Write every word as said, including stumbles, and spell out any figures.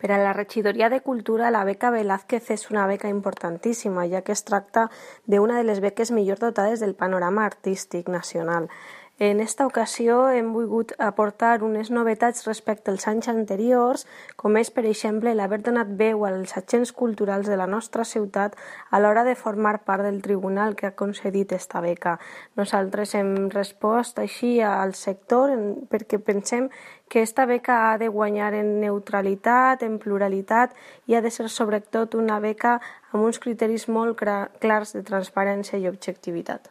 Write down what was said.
Per a la Regidoria de Cultura, la beca Velázquez és una beca importantíssima, ja que es tracta d'una de les beques millor dotades del panorama artístic nacional. En esta ocasió hem volgut aportar unes novetats respecte als anys anteriors, com és, per exemple, l'haver donat veu als agents culturals de la nostra ciutat a l'hora de formar part del tribunal que ha concedit esta beca. Nosaltres hem respost així al sector perquè pensem que esta beca ha de guanyar en neutralitat, en pluralitat i ha de ser sobretot una beca amb uns criteris molt clars de transparència i objectivitat.